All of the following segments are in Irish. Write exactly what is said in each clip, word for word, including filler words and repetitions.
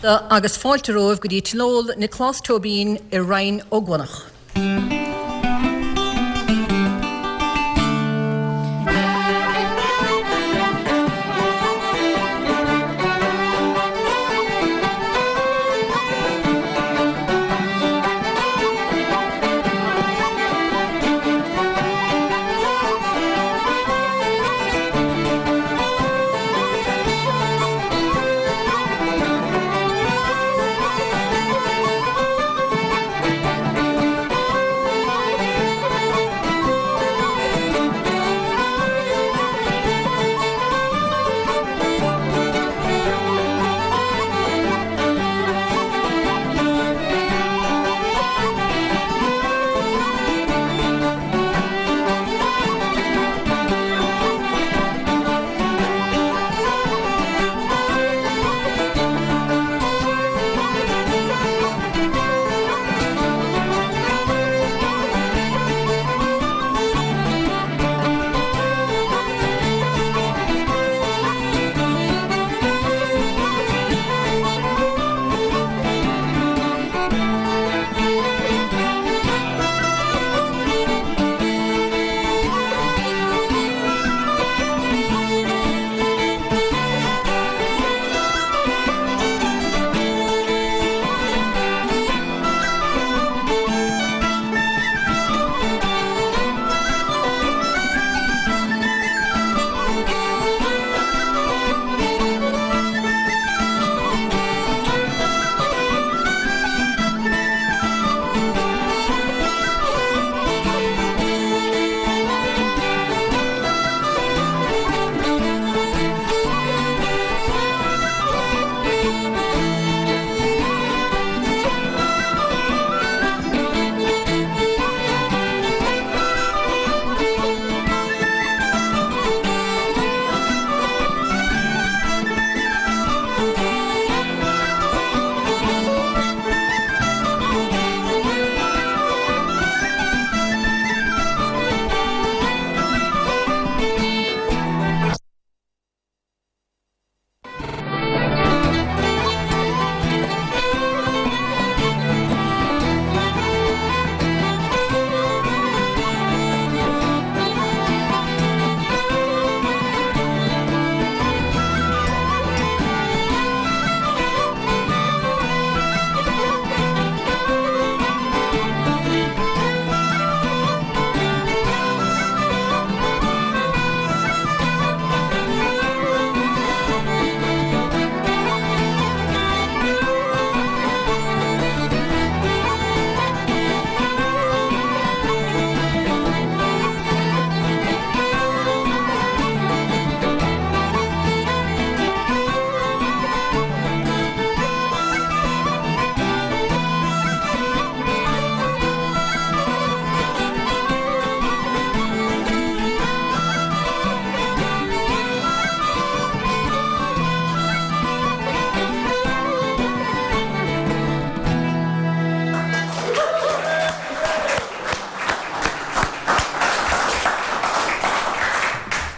Agus fáilte romhaibh go dtí Tionól Nioclás Tóibín i Rinn Ó gCuanach.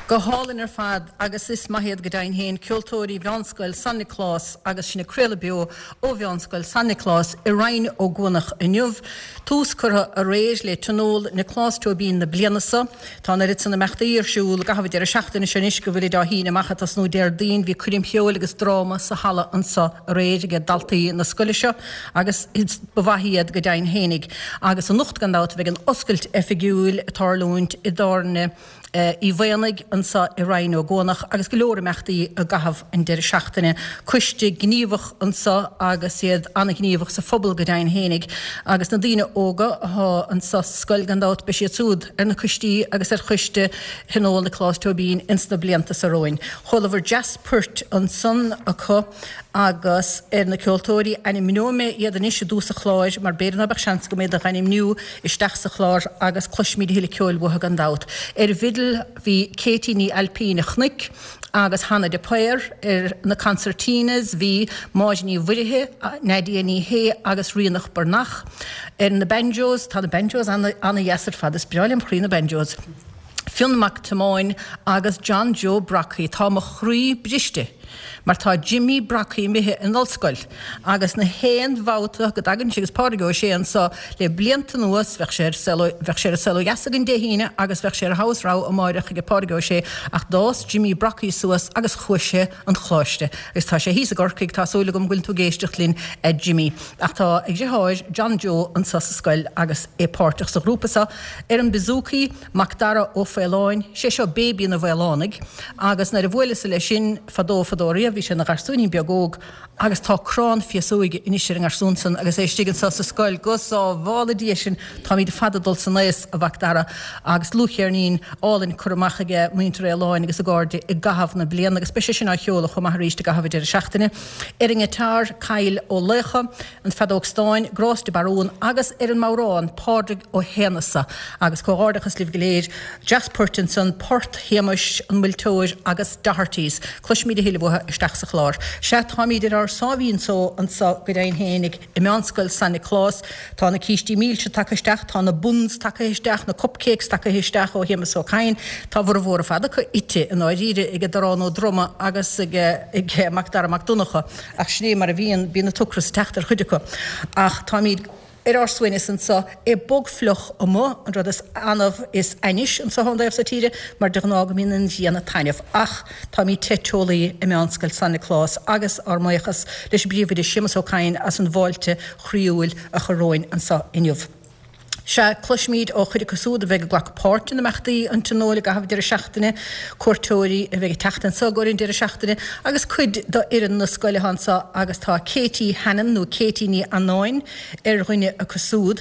Go hálainn ar fad agus is maith iad go deimhin féin ceoltóirí Mheánscoil San Nioclás agus sinn ag craoladh beo ó Mheánscoil San Nioclás i Rinn Ó gCuanach inniu. Tús curtha aréir le Tionól Nioclás Tóibín na bliana seo. Tá an oiread san imeachtaí ar siúl i gcaitheamh an deireadh seachtaine seo anois go bhfuilid á shíneadh amach ag tosnú Déardaoin. Bhí coirm cheoil agus dráma sa halla anseo aréir ag daltaí na scoile seo agus ba mhaith iad go deimhin fhéinig. Agus anocht gan dabht bheidh an oscailt oifigiúil ag tarlúint i dtábhairne Uí Mhaonaigh anseo i Rinn Ó gCuanach agus go leor imeachtaí i gcaitheamh an deireadh seachtaine. Coiste gníomhach anseo agus iad an-ghníomhach sa phobal go deimhin fhéinig agus na daoine óga atá anseo sa scoil gan dabht beidh siad siúd ar na coistí agus ar choiste Thionól Nioclás Tóibín ins na blianta seo romhainn. Chualabhar deas poirt ansan acu agus ar na ceoltóirí, ainmneoidh mé iad anois i dtús an chláir mar b'fhéidir ná beadh seans agam iad a dh'ainmniú isteach sa chlár agus cloisfimid a thuilleadh ceoil uathu gan dabht. Ar an bhfidil bhí Katie Ní Ailpín a Chnoic agus Hannah de Paor, ar na concertinas bhí Máire Ní Mhuirithe, Nadia Ní Shé agus Ríonach Breathnach. Ar na banjos, tá na banjos ana-dheas ar fad, is breá lem chroí na banjos. Fionn Mac Tiomáin agus John Joe Brockie. Tá mo chroí briste. Mar tá Jimmy Brockie imithe in ollscoil agus na haon bhabhta go dtagann sé agus Pádraig Ó Sé anseo le blianta anuas bheadh sé ar Saol bheadh sé ar Saol Ó Dheas againn Dé hAoine agus bheadh sé ar Thogha is Rogha amáireach ag Pádraig Ó Sé ach d'fhás Jimmy Brockie suas agus chuaigh sé an choláiste agus tá sé thíos i gCorcaigh tá súil agam go bhfuil tú ag éisteacht linn a Jimmy. Ach tá a dheartháir John Joe anseo sa scoil agus é páirteach sa ghrúpa seo ar an bouzouki Macdara Ó Faoláin, sé seo Baby na bhFaolánaigh agus nuair a bhuaileas leis sin fadó fadó riamh bhí sé ina gharsúinín beag óg agus tá crann féasóige anois ar an ngarsún san agus é istigh anseo sa scoil go sábhála Dia sinn táimid fada ag dul san aos a Mhacdara agus dlúthcheirnín álainn curtha amach aige muintir Fhaoláin agus a gcairde i gcaitheamh na bliana agus beidh sé sin á cheoladh chomh maith arís i gcaitheamh an deireadh seachtaine. Ar an ngiotár, Kyle Ó Laocha, an feadóg stáin, Grás de Barún agus ar an mbodhrán, Pádraig Ó hAonghusa. Agus comhghairdeachas libh go léir. Deas poirt ansan, Port Shéamais, An Muilteoir agus Dohertys. Cloisfimid a thuilleadh uathu isteach sa chlár. Sea, táimid ar ár sáimhín só anso go deimhin fhéinig i Meánscoil San Nioclás. Tá na cístí milse tagtha isteach, tá na buns tagtha isteach, na cupcakes tagtha isteach ó Shéamus Ó Cadhain. Tá a bhformhór ar fad acu ite i ndáiríre ag Darán Ó Droma agus ag ag Macdara Mac Donncha, ach sin é mar a bhíonn, bíonn an t-ocras ag teacht ar chuid acu. Ach táimid ar ár suaimhneas anso, é bog fliuch amuigh, an rud is annamh is ainnis anso ón dtaobh so tíre, mar de ghnáth go mbíonn an ghrian ag taitneamh. Ach táimid te teolaí i Meánscoil San Nioclás agus ár mbuíochas leis an bPríomhoide Séamus Ó Cadhain as an bhfáilte chroíúil a chur romhainn anso inniu. Sea, cloisfimid ó chuid acu siúd a bheidh ag glacadh páirt in imeachtaí an Tionóil i gcaitheamh deireadh seachtaine, cuairteoirí a bheidh ag teacht anso i gcomhair an deireadh seachtaine agus cuid d'fhoireann na scoile atá anso agus tá Katie Hannon nó Katie Ní Annáin ar dhuine acu siúd.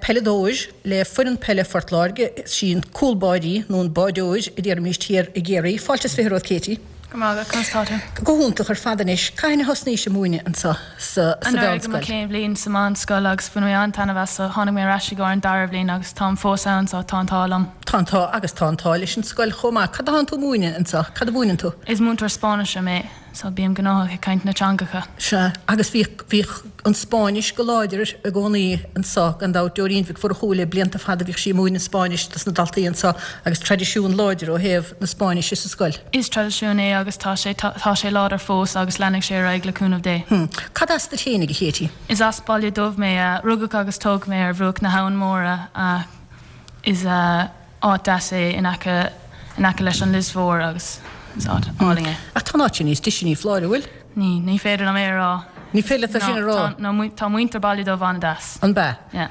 Peileadóir le foireann peile Phort Láirge, is í an cúl báirí nó an báideoir a déarfaimis thiar i gCiarraí. Fáilte is fiche romhat Katie. Go raibh maith agat, conas tá tú? Go hiontach ar fad anois. Cathain a thosnaís ag múineadh anseo sa Anuraidh i mo mheánscoil? chéad bhliain sa meánscoil agus bhain mé an-taitneamh as so tháinig mé ar ais i gcomhair an dara bhliain agus táim fós ann so tá an t-ádh liom. Tá an t-ádh agus tá an t-ádh leis an scoil chomh maith. Cad atánn tú ag múineadh anseo? Cad a mhúineann tú? Is múinteoir Spáinnise mé so bím gnóthach ag caint na teangacha. Sea, agus bhíodh, bhíodh an Spáinnis go láidir i gcónaí anseo, gan dabht. Doreen Mhic Mhurchú le blianta fada bhíodh sí ag múineadh Spáinnis dos na daltaí anseo agus traidisiún láidir ó thaobh na Spáinnise sa scoil. Is traidisiún é agus tá sé, tá sé láidir fós agus leanfaidh sé ar aghaidh le cúnamh Dé. Hmm. Cad as duit fhéinig, a Katie? Is as Baile Dubh mé. Rugadh agus tógadh mé ar bhruach na hAbhann Móire. Is áit deas é in aice, in aice leis an Lios Mhór agus is áit álainn é. Ach tá an áit sin níos deise, ní foláir, an bhfuil? Ní, ní féidir liom é a rá. Ní féidir leat é sin a rá? Tá, tá muintir Baile Dubh an-deas. An b'ea? Yeah.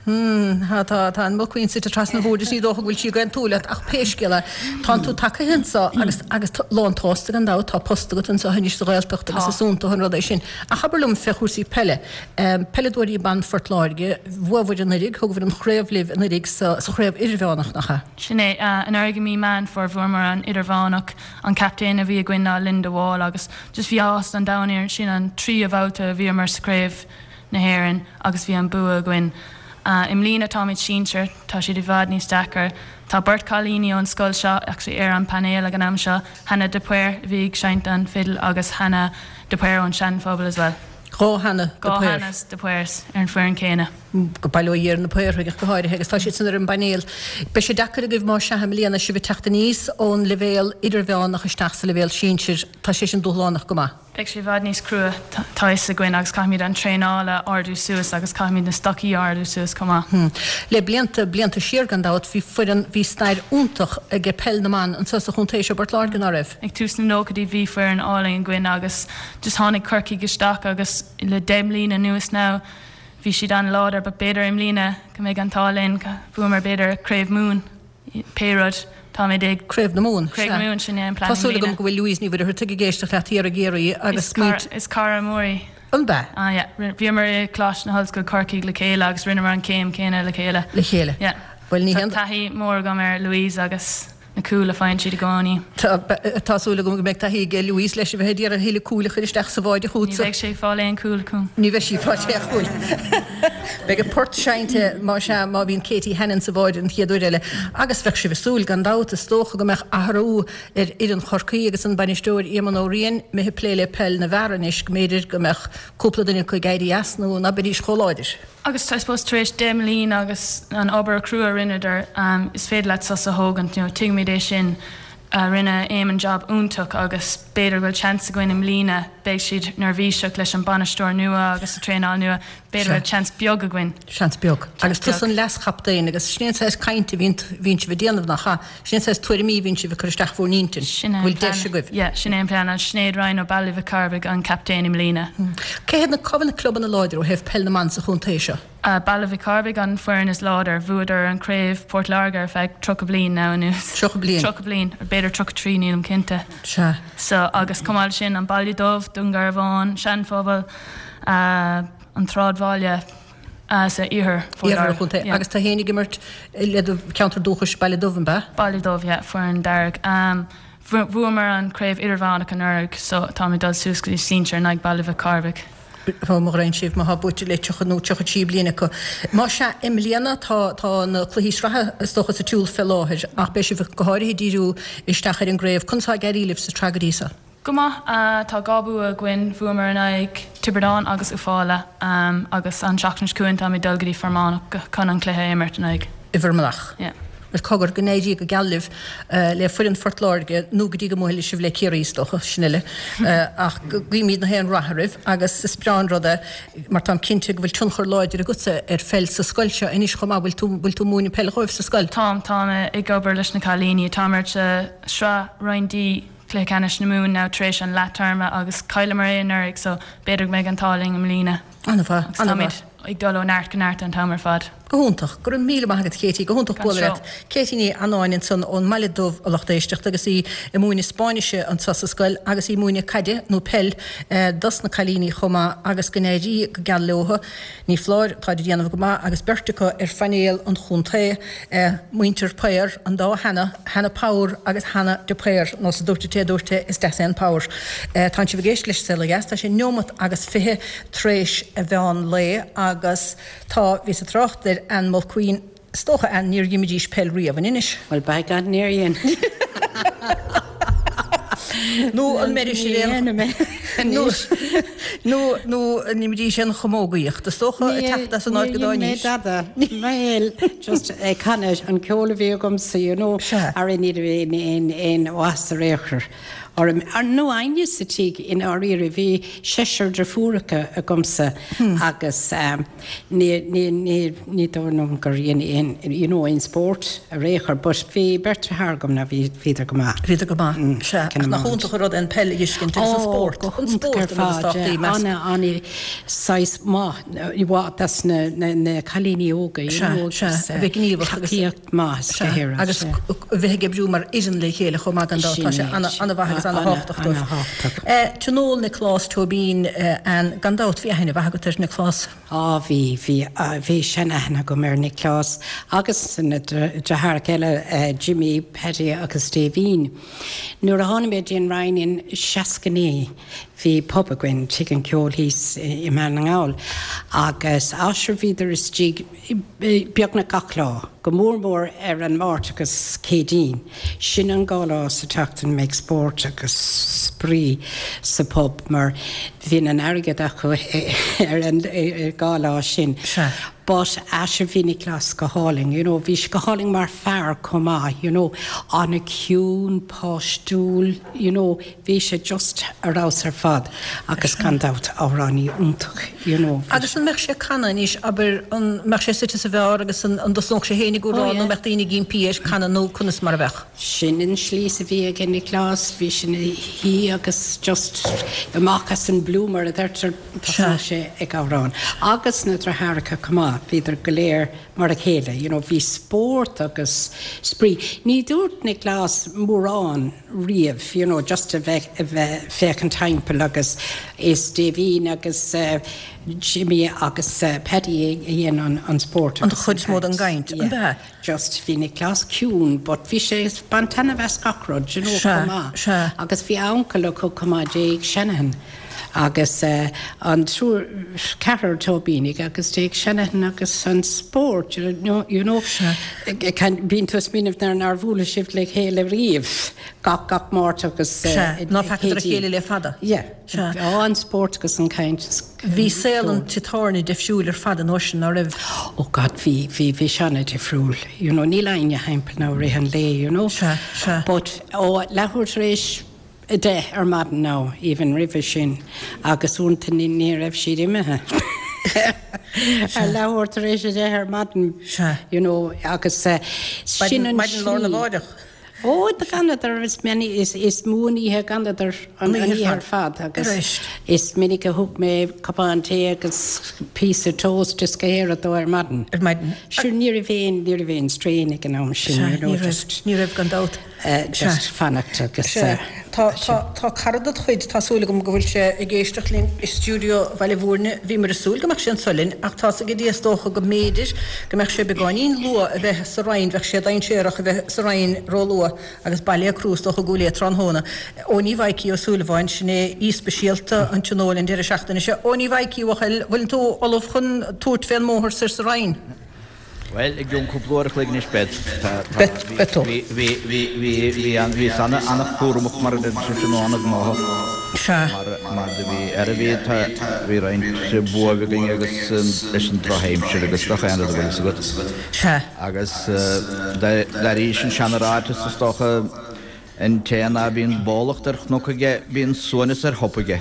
Hmm, tá, tá, tá an Mulqueen suite trasna an bhoird is ní dócha go bhfuil sí ag aontú leat ach pé scéal é, tánn tú tagtha anseo agus, agus lán tsásta gan dabht, tá post agat anseo anois sa Ghaeltacht agus Tá. is iontach an rud é sin. Ach abair liom fé chúrsaí peile, peileadóirí ban Phort Láirge, bhuabhair anuraidh, thugabhair an chraobh libh anuraidh sa, sa chraobh idirmheánach, nach ea? Sin é. Anuraidh i mí Meán Fómhair bhuamar an idirmheánach. An captaen a bhí againn ná Linda Wall agus just bhí áthas an domhain orainn, sin an tríú babhta a bhíomar sa chraobh na hÉireann agus bhí an bua againn. I mbliana táimid sinsir, tá siad i bhfad níos deacair. Tá beirt cailíní ón scoil seo actually ar an painéal ag an am seo, Hannah de Paor a bhí ag seinnt an fidil agus Hannah de Paor ón Seanphobal as well. Dhá Hannah de Dhá Paor. Hannahs de Paors ar an foireann céanna. Go bail ó Dhia ar na Paorthaigh ach go háirithe agus tá siad san ar an bpainéal. Beidh sé deacair agaibh más ea i mbliana sibh ag teacht aníos ón leibhéal idirmheánach isteach sa leibhéal sinsir, tá sé sin dúshlánach go maith. Beidh sé i bhfad níos crua, tá a fhios againn, agus caithfimid an traenáil a ardú suas agus caithfimid na stocaí a ardú suas chomh maith. Le blianta, blianta siar gan dabht, bhí foireann, bhí stair iontach ag peil na mban anseo sa chontae seo i bPort Láirge, ná raibh? Ag tús na nóchaidí bhí foireann álainn againn agus just tháinig Corcaigh isteach agus le deich mbliana anuas now bhí siad an-láidir but b'fhéidir i mbliana go mbeidh an t-ádh linn, bhuamar b'fhéidir Craobh Mumhan. Pé rud, táimid ag. Craobh na Mumhan, Craobh na sea. Mumhan, sin é an plean Tá i súil agam mbliana. go bhfuil Louise Ní Mhuircheartaigh ag éisteacht leat thiar i gCiarraí agus Is cara, smaoint. is cara mór í. An b'ea? Ah yeah. Bhíomar i Coláiste na hOllscoile Corcaigh le chéile agus rinneamar an chéim céanna le chéile. Le chéile. Yeah. Bhuel, ní Tá haon. taithí mór agam ar Louise agus na cúil a faigheann siad i gcónaí. Tá, tá súil agam go mbeidh taithí ag Louise leis a bheith ag iarraidh a thuilleadh cúil a chur isteach sa bháide Ní chugatsa. bheidh sé ag fáil aon chúl chugam. Ní bheidh sí ag fáil aon chúil. Beidh an port seinnte más ea má bhíonn Katie Hannon sa bháide an chéad uair eile. Agus bheadh sibh ag súil, gan dabht, is dócha go mbeadh athrú ar fhoireann Chorcaí agus an bainisteoir Éamonn Ó Riain imithe ag plé le peil na bhfear anois, go mb'fhéidir go mbeadh cúpla duine acu ag éirí as nó ná beidís chomh láidir. Agus I suppose tar éis deich mbliana agus an obair chrua a rinneadar, is féidir leat sos a thógaint, you know, tuigimid é sin. Rinne Éamon job iontach agus b'fhéidir go bhfuil seans againn i mbliana beidh siad neirbhíseach leis an bainisteoir nua agus an traenáil nua b'fhéidir go bhfuil seans beag againn. Seans beag. Agus tusa an leaschaptaen agus sin é an saghas cainte a bhíonn bhíonn sibh ag déanamh nach ea? Sin é an saghas tuairimí a bhíonn sibh ag cur isteach bhur n-intinn. Sin é an Bhfuil deis plean. agaibh? Yeah, sin é an plean. An Sinéad Ryan ó Baile Mhic Cárbaigh an captaen i mbliana. Cé hiad na cá bhfuil na clubanna láidir ó thaobh peil na mban sa chontae seo? Uh, Baile Mhic Cárbaigh an foireann is láidir bhuadar an craobh Port Láirge ar feadh tríocha bliain now anuas. Tríocha bliain. Tríocha bliain ar b'fhéidir tríocha trí nílim cinnte. Sea. So agus chomh maith leis sin an Baile Dubh, Dún Garbhán, Seanphobal, uh, an tSráidbhaile uh, sa iarthar Phort Iarthar Láirge. chontae. Yeah. Agus tá féin ag imirt le do ceantar dúchais Baile Dubh an ea? Baile Dubh, yeah, foireann dearg. Um, Bhuamar an craobh idirmheánach anuraidh, so tá mé dul suas go dtí sinsir in aghaidh Baile Mhic Cárbaigh. Tá mo ghrein sibh má buaite le tríocha nó tríocha trí bliana acu. Má sea i mbliana tá tá na cluichí sraithe is dócha sa tsiúl fé láthair ach beidh sibh go háirithe díriú isteach ar an gcraobh conas atá ag éirí libh sa tsraith go dtí seo. Go maith uh, tá dhá bua againn bhuamar in aghaidh Tiobraid Árann agus Uafála um, agus an seachtain chugainn tá mé dul go dtí Fear Manach chun an cluiche a imirt in aghaidh. I bhFear Manach. Yeah. Well cogar go n-éirí go geal libh uh, le foireann Phort Láirge nó go dtí go mbuailfidh sibh le Ciarraí is dócha sin eile uh, ach guímid na haon rath oraibh agus is breá an rud é mar táim cinnte go bhfuil tionchar láidir agatsa ar pheil sa scoil seo anois chomh maith bhfuil tú bhfuil tú múineadh peil dhóibh sa scoil. Táim táim ag obair leis na cailíní táim sa sraith Roinn D cluiche ceannais na Mumhan now tar éis an leath-téarma agus chailleamar é anuraidh so b'fhéidir go mbeidh an t-ádh linn i mbliana. An-mhaith, Agus táimid ag dul ó neart go neart an t-am ar fad. Go hiontach, go raibh míle maith agat Katie, go hiontach Gan bualadh leat. Katie Ní Annáin ansan ón mBaile Dubh a lucht éisteachta agus í ag múineadh Spáinnise anseo sa scoil agus í múineadh caide nó peil eh, dos na cailíní chomh maith agus go n-éirí go geal leo. Ní foláir tá ag déanamh go maith agus beirt acu ar phainéal an chontae eh, muintir Power an dá Hannah, Hannah Power agus Hannah de Paor nó sa dúirt té dúirt is deas é an Power. Eh, Tá sibh ag éisteacht leis Saol Ó Dheas, tá sé neomat agus fiche tar éis a mheán lae agus tá bhí sa trácht ar Ann Mulqueen is dócha Ann níor imrídís peil riamh in Inis. Well by God níor dhein. Nó an mbeidh sé nó nó nó an imrídís aon chamógaíocht, is dócha ag teacht as an áit go dtáinig. Dada Well just eh, canadh an ceol a bhí agamsa you know Sea. ar ní aon aon aon was réchar. Ar ar nó aine sa tí in áíre bhí seisear deirfiúracha agamsa agus um, ní ní ní ní dóigh gur dhein aon you know aon spórt a réchar, but bhí beirt deartháir agam na bhí bhíodar go maith. Bhí go maith se nach iontach rud an peil a fheiscint agus an spórt an spórt Anna anna sais má i das na na na cailíní óga Sea, a bheith gníomhach agus- agus maith go agus bheith ag oibriú mar fhoireann le chéile chomh maith gan dabht, tá sé an-mhaith agus an-tábhachtach dóibh. Tionól Nioclás Tóibín an gan dabht bhí aithne mhaith agat ar Nioclás. Á bhí bhí bhí sean-aithne agam ar Nioclás agus na deartháireacha eile Jimmy Paddy agus Davín. Nuair a tháinig mé dtí an Rinn in seasca naoi bhí pub againn Tigh an Cheoil thíos i mBaile na nGall agus asir bhíodar istigh beagnach gach lá, go mór mór ar an Máirt agus Céadaoin. Sin an dhá lá sa tseachtain mbeadh spórt agus spraoi sa pub mar bhí an airgead acu ar an dhá lá sin. Sea. But asir bhí Nioclás go hálainn, you know, bhí sé go hálainn mar fear chomh maith, you know, an-chiúin páistiúil, you know, bhí sé just ar fheabhas ar fad agus gan dabht amhránaí iontach, you know. Agus an mbeadh sé canadh anois abair an mbeadh sé suite sa bheár agus an an dtosnódh sé féin ag Oh, amhrán yeah. nó mbeadh daoine ag impí air canadh nó conas mar a bheadh. Sin an slí a bhí ag Nioclás, bhí sin hí agus just amach as an blue mar a deirtear Sea. sé ag amhrán. Agus na deartháireacha chomh maith, bhíodar go léir mar a chéile, you know, bhí spórt agus spraoi. Ní dúirt Nioclás mórán riamh, you know, just a bheith a bheith féachaint timpeall agus is Davín agus uh, Jimmy agus uh, Paddy a dhein an, an spórt. An chuid is mó den gcaint, an Yeah. bea? Just bhí Nioclás ciúin, but bhí sé bain taitneamh as gach rud, you know, Sea, chomh maith. sea. Agus bhí uncail acu chomh maith Jake Shanahan. Agus an triúr, ceathrar Tóibínigh agus d'éag seanaithne agus an spórt, you know, you know, bíonn tú ag smaoineamh nuair nár bhuail sibh le chéile riamh gach gach Máirt agus Sea, ná feacadar a chéile le fada. Yeah. Sea. Á, an spórt agus an chaint is Bhí saol an tí tábhairne difriúil ar fad an uair sin, ná raibh? Oh God, bhí, bhí, bhí sé an-difriúil, you know, níl éinne thimpeall now i rith an lae, you know. Sea, sea. But ó leathuair tar éis a deich ar maidin now, even roimhe sin, agus uaireanta ní, ní raibh siad imithe. Ar leathuair tar éis a deich ar maidin, Sea. you know, agus sin an Maidin lá arna slí. mháireach. Ó, d'fhanadar, is minic, is, is mó an oíche a d'fhanadar an, An an oíche oíche ar ar fad agus Arís. is minic a thug mé cupán tae agus píosa toast is go héire dó ar maidin. Ar maidin. Sure, ní raibh aon, ní raibh aon strain ag an am sin, Sea, you know, ní raibh, just, ní raibh gan dabht. uh, just fanacht agus Sea, uh, tá, tá, tá cara ded chuid, tá súil agam go bhfuil sé ag éisteacht linn i stiúideo Bhaile Bhúirne, bhíomar ag súil go mbeadh sé anseo linn, ach tá's ag Dia is dócha go mb'fhéidir go mbeadh sé beagáinín luath a bheith sa Rinn, bheadh sé dainséarach a bheith sa Rinn róluath agus baile crua is dócha go léir tráthnóna. Eoiní Mhaidhcí Ó Súilleabháin, sin é aoi speisialta an tionóil an deireadh seachtaine seo. Eoiní Mhaidhcí, a bhuachaill, bhfuil tú ullamh chun tabhairt fén mbóthar soir sa Rinn? Bhuel, i gcionn cúpla uair a chloig anois bead. Bead, bead tú. Bhí, bhí, bhí, bhí, bhí an, bhí ana, ana-chúramach mar a deir sibhse nó ana-ghnóthach. Sea. Mar, mar do bhí, ar a bhí, tá, bhí roinnt buaibh againn agus leis an drochaimsir agus gach aon rud a bhfuil fhios agat. Sea. Agus d'airíos an seana-ráiteas is dócha an té ná bíonn bólacht ar chnoc aige, bíonn suaimhneas ar thop aige.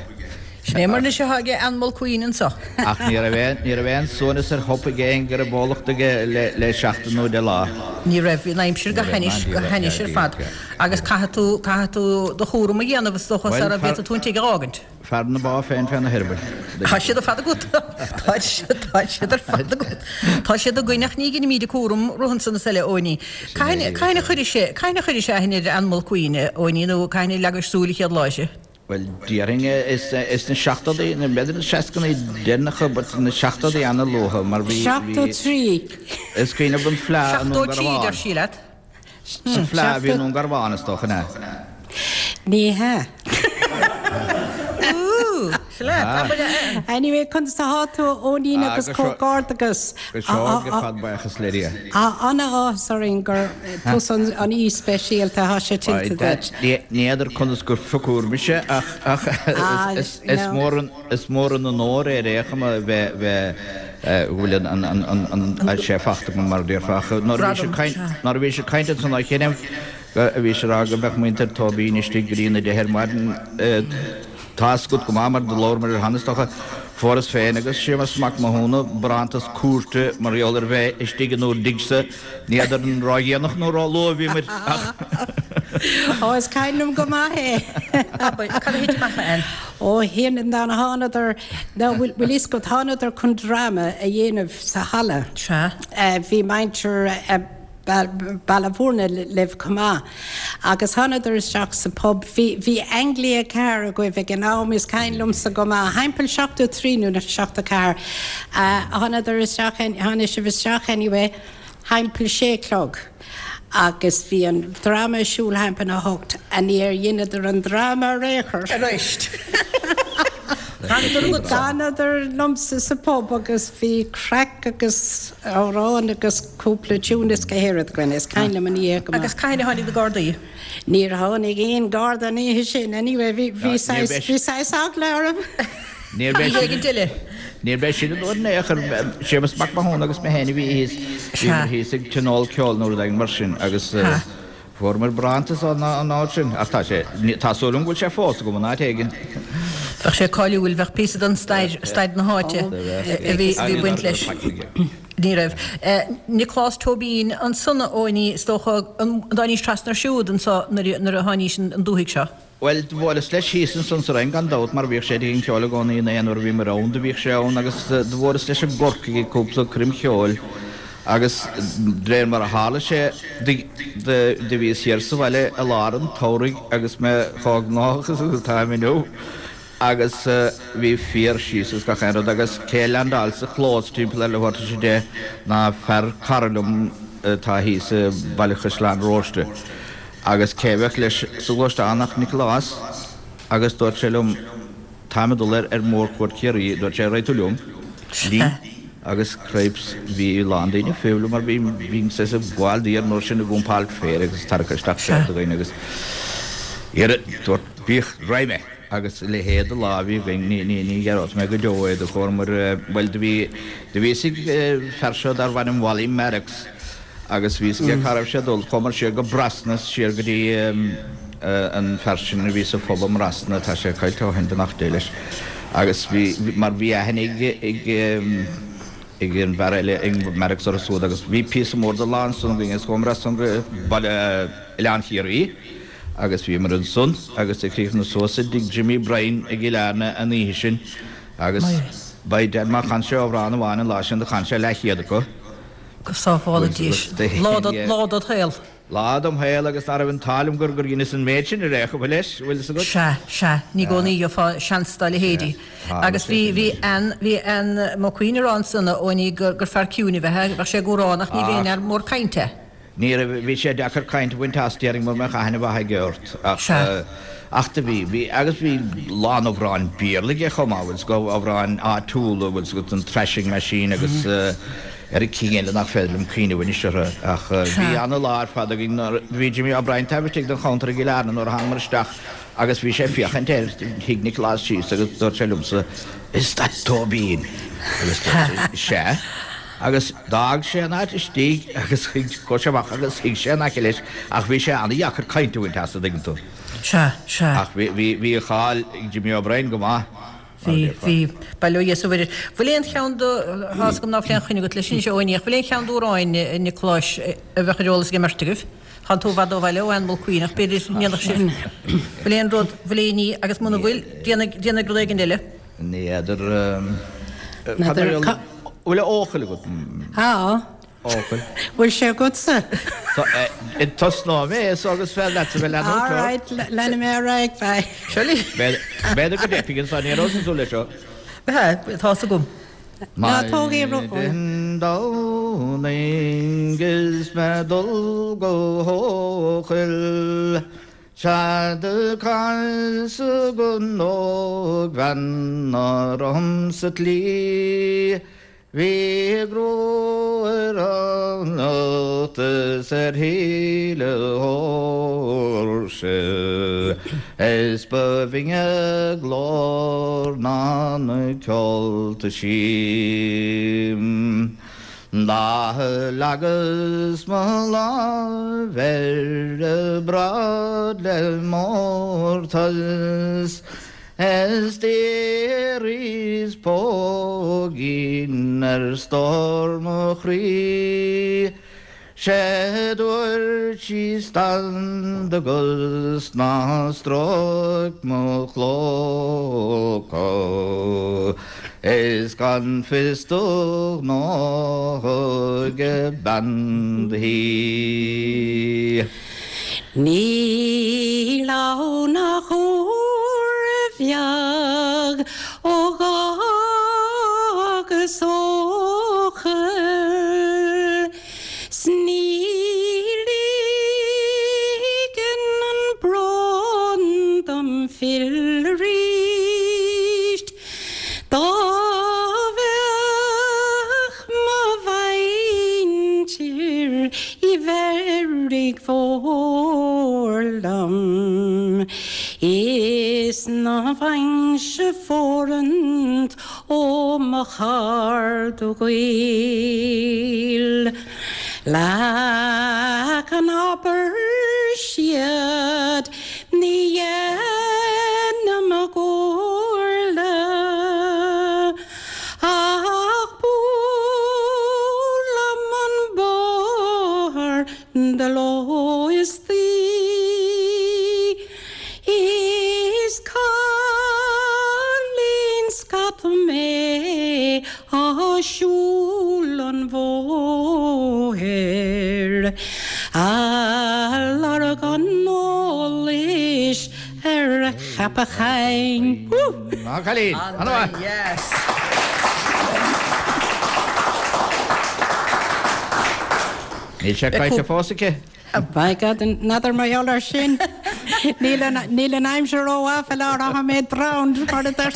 Sin é mar anois atá aige Ann Mulqueen anseo. Ach ní raibh aon, ní raibh aon suaimhneas ar thop aige aon go raibh bólacht aige le, le seachtain nó deich lá. Ní raibh, bhí an aimsir go Ní raibh, hainnis, ní go raibh, hainnis ní ar fad. raibh. Agus caithfidh tú, caithfidh tú do chúram a dhéanamh is dócha Bhuel, sara fear- bhféadfaidh tú an tigh a fhágaint. Fear na bá féin féna heirball. Tá siad ar fad agat. Tá siad, tá siad ar fad agat. Tá siad againn ach ní ghinimid cúram romhansa na eile Eoiní. Cathain cathain a chuirfidh sé, cathain a chuirfidh sé aithne ar Ann Mulqueen, Eoiní, nó cathain a leagais súil an chéad lá uirthi? Bhuel, déarfainn is, is na seachtóidí, na b'fhéidir na seascannaí deireanacha, but na seachtóidí an-luath, mar bhí, Seachtó bhí, trí. is cuimhin liom an fleá i Seachtó nDún trí deir Garbhán. sí leat. An fleá a bhí i nDún Garbhán is dócha, an ea? Ní hea. Ooh, sin leat, abair é. Anyway, conas atá tú Eoinín Ah, agus go seo- comhghairdeachas. Go seo go fad buíochas le Dia. An-áthas orainn gur tusa an an aoi speisialta tá sé tuillte duit. Ní n'fheadar conas gur phiocadh mise ach ach Ah, is is no. mór an is mór an onóir é ar aon chuma bheith bheith go bhfuil an an an an an an sé fachta go mar déarfá ach nuair a bhí sé Gradam, caint sea. nuair a bhí sé caint ansan á chinneadh a bhí sé rá go mbeadh muintir Tóibín istigh go dtí na deich ar maidin tá a fhios agat go maith mar do labhair mar cheana is dócha fuaireas féin agus Séamus Mac Mathúna barántas cúirte mar gheall ar bheith istigh in bhur dtighse ní fheadar an ródhéanach nó róluath a bhí muid ach Ó is cuimhin liom go maith é. Abair, cad a thit amach Ann? Ó híon an dá thánadar ná bhfuil bhfuil fhios agat thánadar chun dráma a dhéanamh sa halla. Sea. Uh, bhí muintir uh, Baile Bhúirne libh chomh maith. Agus thánadar isteach sa pub, bhí bhí Anglia ceathair agaibh ag an am is cuimhin liomsa go maith thimpeall seachtó trí nó na seachtó ceathair. Uh, thánadar isteach tháinig sibh isteach anyway, thimpeall sé chlog. Agus bhí an dráma siúl thimpeall a hocht a níor dheineadar an dráma ar aon chor. Arís. Thánadar agat. D'fhanadar liomsa sa pub agus bhí craic agus amhrán agus cúpla tune is go héiread againn, is cuimhin liom an oíche go maith. Agus cathain a tháinig na Gardaí? Níor tháinig aon Garda an oíche sin, anyway, bhí bhí Níor saghas bheith- bhí saghas eagla orm. Níor bheith Ní éigin eile. Níor bheith sin an uair in aon chor Séamus Mac Mathúna agus mé féin a bhí thíos bhí Sea. thíos ag tionól ceoil nó rud éigin mar sin agus Ha. fuaireamar barántas an an áit sin ach tá sé tá súil agam go bhfuil sé fós agam an áit éigin. Bheadh sé cáiliúil, bheadh píosa den stair stair na háite a bhí bhí baint leis. Ní raibh. Nioclás Tóibín ansan Eoiní is dócha an dtáinís trasna siúd anseo nuair nuair a tháinís an dúthaigh seo. Well, do bhuaileas leis thíos ansan sa Rinn gan dabht mar bhíodh sé ag an cheol i gcónaí in aon uair a bhí mé ann do bhíodh sé ann agus do bhuaileas leis i gCorcaigh ag cúpla coirm cheoil agus de réir mar a tharla sé do bhíos thiar sa bhaile i lár an tsamhraidh agus mé chomh gnóthach is atáim inniu agus bhí féar síos is gach aon rud agus cé leaindeáil sa chlós timpeall ar leathuair tar éis a deich ná fear cara liom atá thíos i Baile Chaisleáin Róiste agus cé bheadh leis sa ghluaisteán ach Nioclás agus dúirt sé liom Táim ag dul ar ar mórchuairt Chiarraí, dúirt sé, raghaidh tú liom? Linn agus cripes bhí a lán daoine fiú mar bhí bhí saghas ag gabháil di an uair sin ag dumpáil féir agus tarrac isteach féar do dhaoine agus iarraidh dúirt bíodh raghaidh mé agus a leithéid de lá a bhí againn ní ní ní dhearóidh mé go deo é do chomhair bhuel do bhí do bhí fhios ag fear seo darbh ainm Wally Maddox agus bhí fhios aige cá raibh sé ag dul chuamar siar go Brosnas siar go dtí an fear sin a bhí sa phub i mBrosna tá sé caillte ó shin beannacht Dé leis agus bhí mar bhí aithne ag ag ag an bhfear eile ag Maddox orthu siúd agus bhí píosa mór de lá ansan againn agus chuamar as san go baile Oileán Chiarraí agus bhíomar ansan agus do chríochnaigh suas i dtigh Jimmy Bryan i gCill Airne an oíche sin agus by dad má chan sé amhrán amháin an lá sin do chan sé leathchéad acu. Go sábhála Dia Lá lá dod shaol. Lá dom shaol agus ná raibh an t-ádh liom gur gur dheineas an méid sin ar aon chuma leis, bhfuil fhios agat? Sea, sea, ní i gcónaí a gheofá seans dá leithéidí. Agus bhí, bhí Ann, bhí Ann Mulqueen ag rá ansan a Eoiní gur, gur fear ciúin a bheadh, bheadh sé ag amhrán ach ní bheadh aon fhear mór cainte. Ní raibh, bhí sé deacair caint a bhaint as, déarfainn mura mbeadh aithne mhaith aige ort. Ach, Sea. ach do bhí, bhí, agus bhí lán amhráin Béarla aige chomh maith, bhfuil 's agat, amhráin áitiúla, bhfuil 's agat, an Thrashing Machine agus ar an cinn eile nach féidir liom cuimhneamh anois orthu. Ach bhí Sea. ana-lá ar fad againn nuair, bhí Jimmy O'Brien taobh istigh den chuntar i gCill Airne nuair a thángamar isteach agus bhí sé ag féachaint air, shuigh Nioclás síos agus dúirt sé liomsa, Is that Tóibín? Agus dúirt sé, Sea. Agus d'fhág sé an áit istigh agus chuaigh sé amach agus shuigh sé in aice leis ach bhí sé an-dheacair caint a bhaint as, a' dtuigeann tú. Sea, sea. Ach bhí, bhí, bhí a cháil ag Jimmy O'Brien go maith, mar a Bhí, déarfá. bhí. Bail ó Dhia is ó Mhuire. Bhfuil aon cheann do, tá's agam ná fuil aon chuimhne agat leis anois, a Eoiní, ach bhfuil aon cheann d'amhráin Niocláis a bheadh ar eolas ag an mbeirt agaibh? Tánn tú i bhfad ó bhaile ó Ann Mulqueen ach b'fhéidir ndéanfadh sibh, bhfuil aon rud, bhfuil aon ní agus muna bhfuil, déanaigh, déanaigh rud éigin eile. Ní fheadar, cad é an bhfuil Eochaill agat? Tá. Eochaill. Bhfuil sé agatsa? Tosnóidh mé so agus féidir leatsa bheith leanúint All right, leanfaidh mé ar aghaidh, bye. Seo linn. B'fhéidir go dteipfidh ansan, ní raibh súil leis seo. Tá's agam. Ná tóg é ró. Maidin Domhnaigh is mé dul go hEochaill Sea do casadh an ógbhean orm sa tslí. Bhí a grua ar an ucht is ar shuil a póirse, is ba bhinne a glór ná na ceolta sí. Do leagas mo lámh ar a bráid le mórtas, is d'iarras póigín ar stór mo chroí. 'Sé dúirt sí stad do gcos ná stróic mo chlóca is gan fios do ghnó ag bean do thí. Níl ann ach uair bheag ó dh'fhágas Eochaill 's ní ligeann an brón dom filleadh arís. Dá mbeadh mo mhuintir i bhFearraigh Mhór liom is ná bhfaighinn-se fóirithint ó mo chairde gaoil. Leath an abair siad ní dhéanaim a gcomhairle ach buailim an bóthar de ló is d'oíche. Is cailín scata mé á siúl an bhóthair a lorg an eolais ar a cheapachán. Á cailín, an-mhaith. Yes. Níl sé caite fós aici. By God, n'fheadar mar gheall air sin. Níl an aimsir rómhaith le rá mé drowned mar a deir.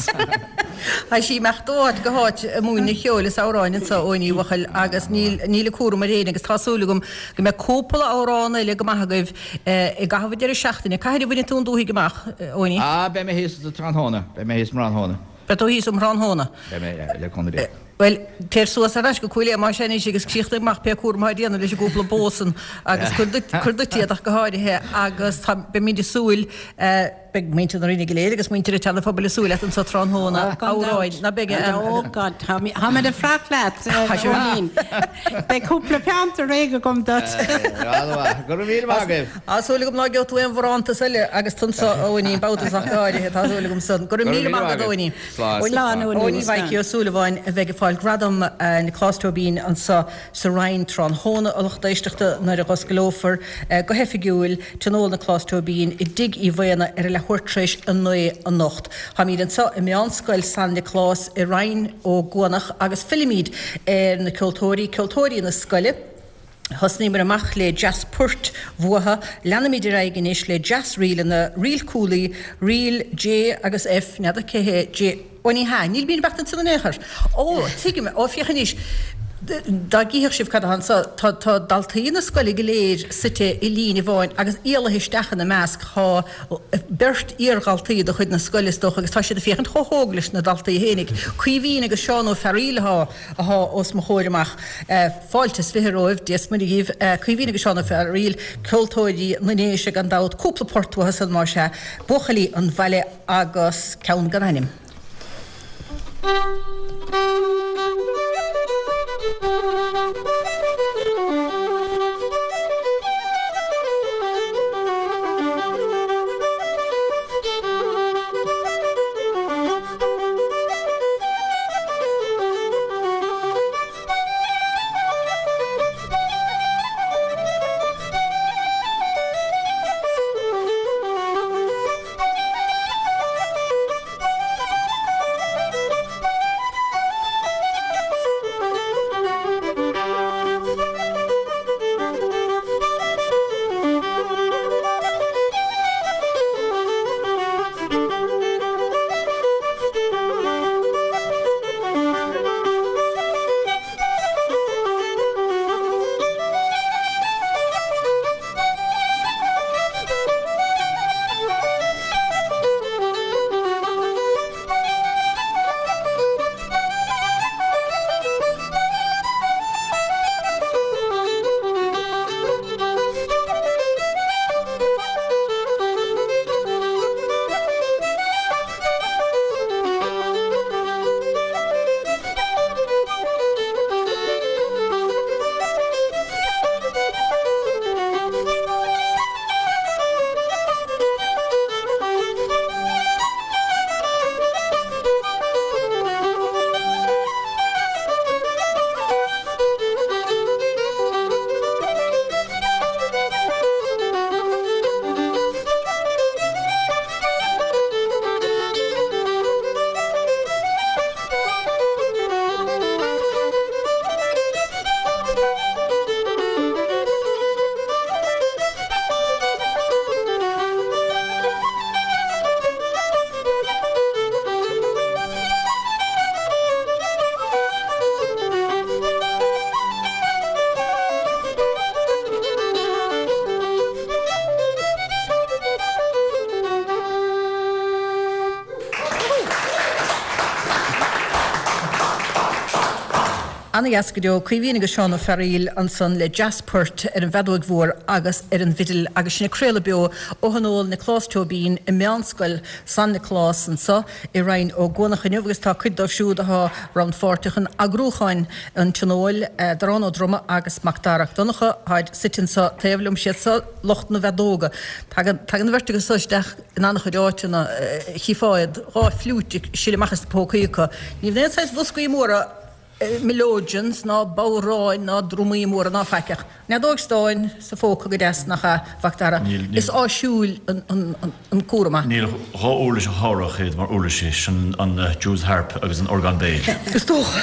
Tá sí imeacht ó áit go háit ag múineadh ceoil is amhráin anseo Eoiní bhuachaill agus níl níl a cúram ar éinne agus tá súil agam go mbeidh cúpla amhrán eile go maith agaibh i gcaitheamh an deireadh seachtaine. Cathain a bhainfidh tú an dúthaigh amach, Eoiní? Ah, beidh mé thíos sa tráthnóna. Beidh mé thíos um thráthnóna. Beidh tú thíos um thráthnóna. Beidh mé, le cúnamh Dé. Bhuel, téir suas ar ais go Cúil Aodha más ea anois agus críochnaigh amach pé cúram atá déanamh leis an gcúpla bó san agus cuir duit, cuir duit iad ach go háirithe agus tá, beimid ag súil, beidh muintir na Rinne go léir agus muintir an tSeana-Phobail ag súil leat anso tráthnóna, Oh, gan amhráin, dabht. ná beidh a, Oh God, tá mé, tá mé ag fanacht leat, Tá sé. Eoinín. Beidh cúpla peann réidh agam duit. An-mhaith. Go raibh míle maith agaibh. Tá súil agam ná gheobhaidh tú aon bharántas eile agus tú anso a Eoinín, babhta ach go háirithe, tá súil agam san. Go raibh Go raibh míle míle maith maith agat, agaibh. Eoinín. Slán. Slán, Eoinín. Eoiní Mhaidhcí Ó Súilleabháin a bheidh ag fáil gradam Nioclás Tóibín anseo sa Rinn tráthnóna, a lucht éisteachta, nuair a dh'osclófar go hoifigiúil Tionól Nioclás Tóibín i dTigh Uí Mhaona ar a leathuair tar éis a naoi anocht. Táimid anseo i Meánscoil San Nioclás i Rinn Ó gCuanach agus fillimid ar na ceoltóirí, ceoltóirí na scoile. Thosnaíomar amach le deas-poirt bhuartha, leanaimid ar aghaidh anois le deas-ríleanna, ríl Cooley, ríl J agus F, n'fheadar cé hé J, ó ní hea, níl bíonn beart ansin in aon chor. Ó, tuigim, ó féach anois, dá gcífeadh sibh cad atá anseo, tá, tá daltaí na scoile go léir suite i líne amháin agus éalaithe isteach ina measc tá beirt iardhaltaí de chuid na scoile is dócha agus tá siad ag féachaint chomh hóg leis na daltaí fhéinig. Caoimhín agus Seán Ó Fearaíl atá, atá os mo chomhair amach. Fáilte is fiche romhaibh, Dia is Muire dhíbh. Caoimhín agus Seán Ó Fearaíl, ceoltóirí na nDéise gan dabht, cúpla port uathu san más ea, Buachaillí an Bhaile agus ceann gan ainm. Ana-dheas go deo. Caoimhín agus Seán Ó Fearaíl ansan le deas-phoirt ar an bhfeadóig mhór agus ar an bhfidil agus sinn ag craoladh beo ó Thionól Nioclás Tóibín i Meánscoil San Nioclás anso i Rinn Ó gCuanach inniu agus tá cuid dóibh siúd atá rannpháirteach in eagrúcháin an Tionóil, Darán Ó Droma agus Macdara Mac Donncha, táid suite anso taobh liom, siad so lucht na bhfeadóga. Tagann tagann an bheirt acu so isteach in an-chuid áiteanna, chífeá iad, dhá fhliúit ag sileadh amach as na pócaí acu. Ní bheadh aon saghas bhoscaí móra melodeons ná bodhráin ná drumaí móra ná faic ach an fheadóg stáin sa phóca go deas, nach ea, a Mhacdara? Is áisiúil an cúram é. Níl dhá uirlis a sháródh iad mar uirlisí, sin an Jew's harp agus an orgán béil. Is dócha.